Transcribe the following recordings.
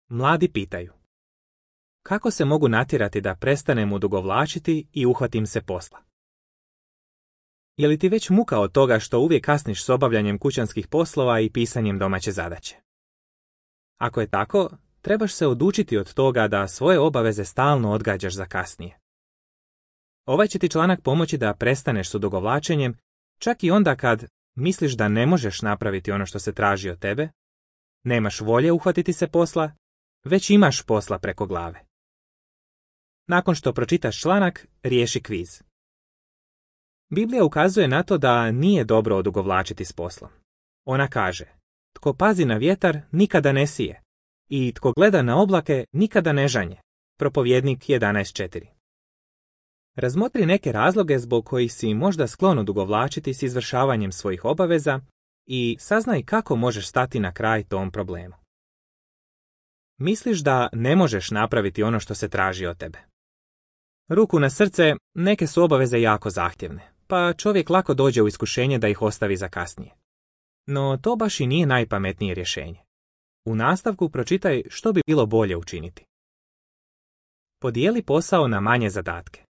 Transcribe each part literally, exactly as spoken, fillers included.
Mladi pitaju: kako se mogu natjerati da prestanem odugovlačiti i uhvatim se posla? Je li ti već muka od toga što uvijek kasniš s obavljanjem kućanskih poslova i pisanjem domaće zadaće? Ako je tako, trebaš se odučiti od toga da svoje obaveze stalno odgađaš za kasnije. Ovaj će ti članak pomoći da prestaneš s odugovlačenjem, čak i onda kad misliš da ne možeš napraviti ono što se traži od tebe, nemaš volje uhvatiti se posla, već imaš posla preko glave. Nakon što pročitaš članak, riješi kviz. Biblija ukazuje na to da nije dobro odugovlačiti s poslom. Ona kaže: tko pazi na vjetar, nikada ne sije, i tko gleda na oblake, nikada ne žanje. Propovjednik jedanaest četiri. Razmotri neke razloge zbog kojih si možda sklon odugovlačiti s izvršavanjem svojih obaveza i saznaj kako možeš stati na kraj tom problemu. Misliš da ne možeš napraviti ono što se traži od tebe? Ruku na srce, neke su obaveze jako zahtjevne, pa čovjek lako dođe u iskušenje da ih ostavi za kasnije. No to baš i nije najpametnije rješenje. U nastavku pročitaj što bi bilo bolje učiniti. Podijeli posao na manje zadatke.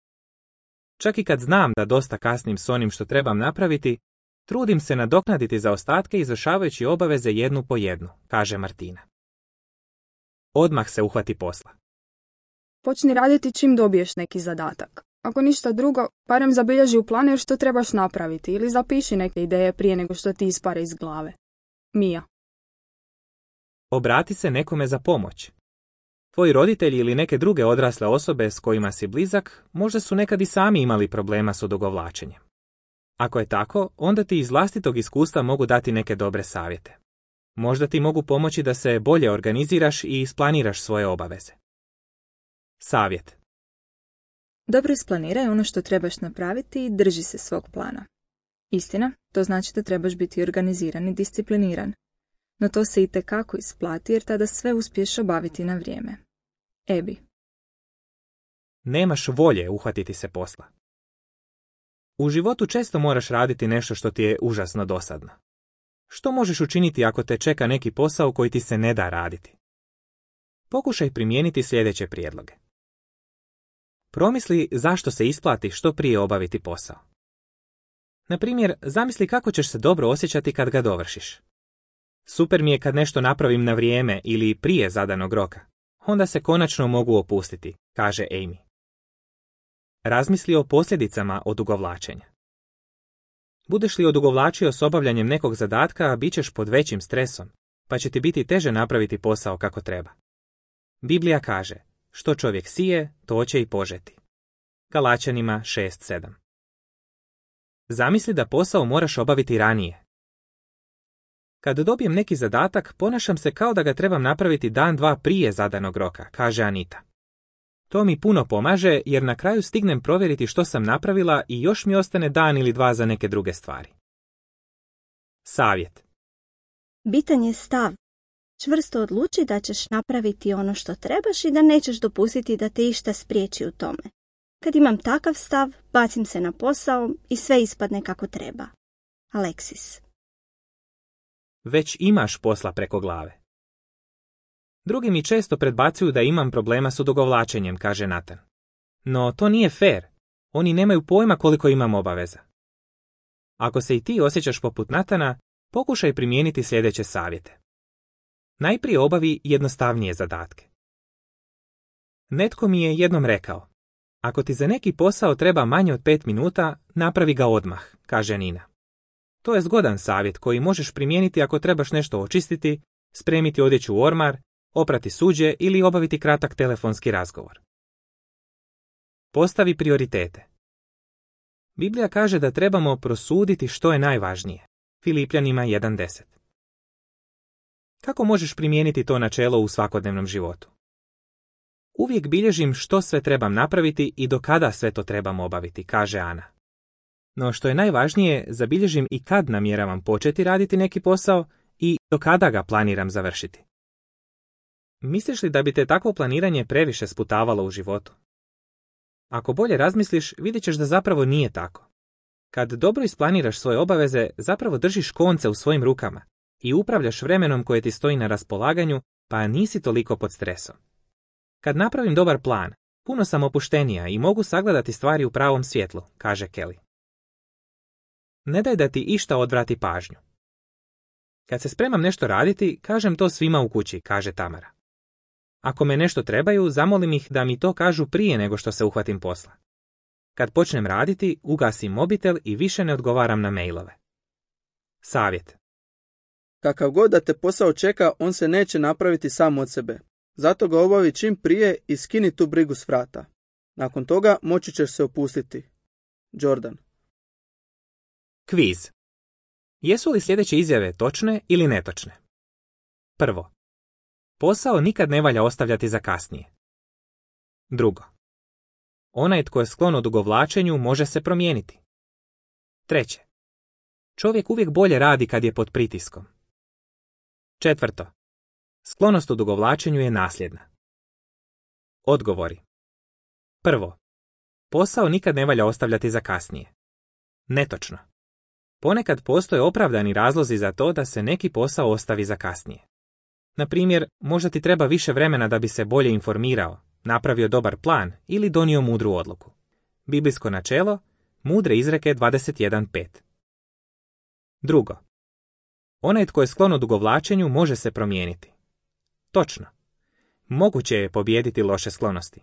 Čak i kad znam da dosta kasnim s onim što trebam napraviti, trudim se nadoknaditi zaostatke izvršavajući obaveze jednu po jednu, kaže Martina. Odmah se uhvati posla. Počni raditi čim dobiješ neki zadatak. Ako ništa drugo, barem zabilježi u planer što trebaš napraviti ili zapiši neke ideje prije nego što ti ispare iz glave. Mija. Obrati se nekome za pomoć. Tvoji roditelji ili neke druge odrasle osobe s kojima si blizak možda su nekad i sami imali problema s odugovlačenjem. Ako je tako, onda ti iz vlastitog iskustva mogu dati neke dobre savjete. Možda ti mogu pomoći da se bolje organiziraš i isplaniraš svoje obaveze. Savjet. Dobro isplaniraj ono što trebaš napraviti i drži se svog plana. Istina, to znači da trebaš biti organiziran i discipliniran. No to se itekako isplati jer tada sve uspiješ obaviti na vrijeme. Ebi. Nemaš volje uhvatiti se posla. U životu često moraš raditi nešto što ti je užasno dosadno. Što možeš učiniti ako te čeka neki posao koji ti se ne da raditi? Pokušaj primijeniti sljedeće prijedloge. Promisli zašto se isplati što prije obaviti posao. Na primjer, zamisli kako ćeš se dobro osjećati kad ga dovršiš. Super mi je kad nešto napravim na vrijeme ili prije zadanog roka. Onda se konačno mogu opustiti, kaže Amy. Razmisli o posljedicama odugovlačenja. Budeš li odugovlačio s obavljanjem nekog zadatka, bit ćeš pod većim stresom, pa će ti biti teže napraviti posao kako treba. Biblija kaže: što čovjek sije, to će i požeti. Galačanima šest sedam. Zamisli da posao moraš obaviti ranije. Kad dobijem neki zadatak, ponašam se kao da ga trebam napraviti dan dva prije zadanog roka, kaže Anita. To mi puno pomaže jer na kraju stignem provjeriti što sam napravila i još mi ostane dan ili dva za neke druge stvari. Savjet. Bitan je stav. Čvrsto odluči da ćeš napraviti ono što trebaš i da nećeš dopustiti da te išta spriječi u tome. Kad imam takav stav, bacim se na posao i sve ispadne kako treba. Aleksis. Već imaš posla preko glave. Drugi mi često predbacuju da imam problema s odugovlačenjem, kaže Nathan. No to nije fair. Oni nemaju pojma koliko imam obaveza. Ako se i ti osjećaš poput Nathana, pokušaj primijeniti sljedeće savjete. Najprije obavi jednostavnije zadatke. Netko mi je jednom rekao: ako ti za neki posao treba manje od pet minuta, napravi ga odmah, kaže Nina. To je zgodan savjet koji možeš primijeniti ako trebaš nešto očistiti, spremiti odjeću u ormar, oprati suđe ili obaviti kratak telefonski razgovor. Postavi prioritete. Biblija kaže da trebamo prosuditi što je najvažnije. Filipljanima jedan deset. Kako možeš primijeniti to načelo u svakodnevnom životu? Uvijek bilježim što sve trebam napraviti i do kada sve to trebam obaviti, kaže Ana. No što je najvažnije, zabilježim i kad namjeravam početi raditi neki posao i do kada ga planiram završiti. Misliš li da bi te takvo planiranje previše sputavalo u životu? Ako bolje razmisliš, vidjet ćeš da zapravo nije tako. Kad dobro isplaniraš svoje obaveze, zapravo držiš konce u svojim rukama i upravljaš vremenom koje ti stoji na raspolaganju pa nisi toliko pod stresom. Kad napravim dobar plan, puno sam opuštenija i mogu sagledati stvari u pravom svjetlu, kaže Kelly. Ne daj da ti išta odvrati pažnju. Kad se spremam nešto raditi, kažem to svima u kući, kaže Tamara. Ako me nešto trebaju, zamolim ih da mi to kažu prije nego što se uhvatim posla. Kad počnem raditi, ugasim mobitel i više ne odgovaram na mailove. Savjet. Kakav god da te posao čeka, on se neće napraviti sam od sebe. Zato ga obavi čim prije i skini tu brigu s vrata. Nakon toga moći ćeš se opustiti. Jordan. Kviz. Jesu li sljedeće izjave točne ili netočne? Prvo. Posao nikad ne valja ostavljati za kasnije. Drugo. Onaj tko je sklon odugovlačenju može se promijeniti. Treće. Čovjek uvijek bolje radi kad je pod pritiskom. Četvrto. Sklonost odugovlačenju je nasljedna. Odgovori. Prvo. Posao nikad ne valja ostavljati za kasnije. Netočno. Ponekad postoje opravdani razlozi za to da se neki posao ostavi za kasnije. Na primjer, možda ti treba više vremena da bi se bolje informirao, napravio dobar plan ili donio mudru odluku. Biblijsko načelo, mudre izreke dvadeset jedan pet. Drugo. Onaj tko je sklon odugovlačenju može se promijeniti. Točno. Moguće je pobijediti loše sklonosti.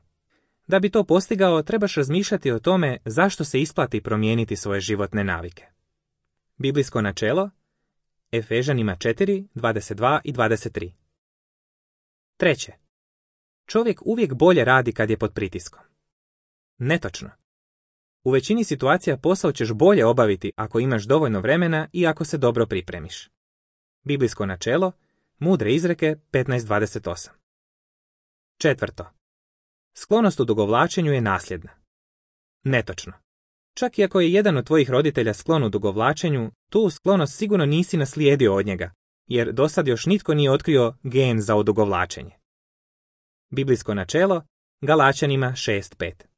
Da bi to postigao, trebaš razmišljati o tome zašto se isplati promijeniti svoje životne navike. Biblijsko načelo, Efežanima četiri, dvadeset dva i dvadeset tri. Treće. Čovjek uvijek bolje radi kad je pod pritiskom. Netočno. U većini situacija posao ćeš bolje obaviti ako imaš dovoljno vremena i ako se dobro pripremiš. Biblijsko načelo, mudre izreke petnaest dvadeset osam. Četvrto. Sklonost odugovlačenju je nasljedna. Netočno. Čak i ako je jedan od tvojih roditelja sklon odugovlačenju, tu sklonost sigurno nisi naslijedio od njega, jer dosad još nitko nije otkrio gen za odugovlačenje. Biblijsko načelo, Galačanima šest pet.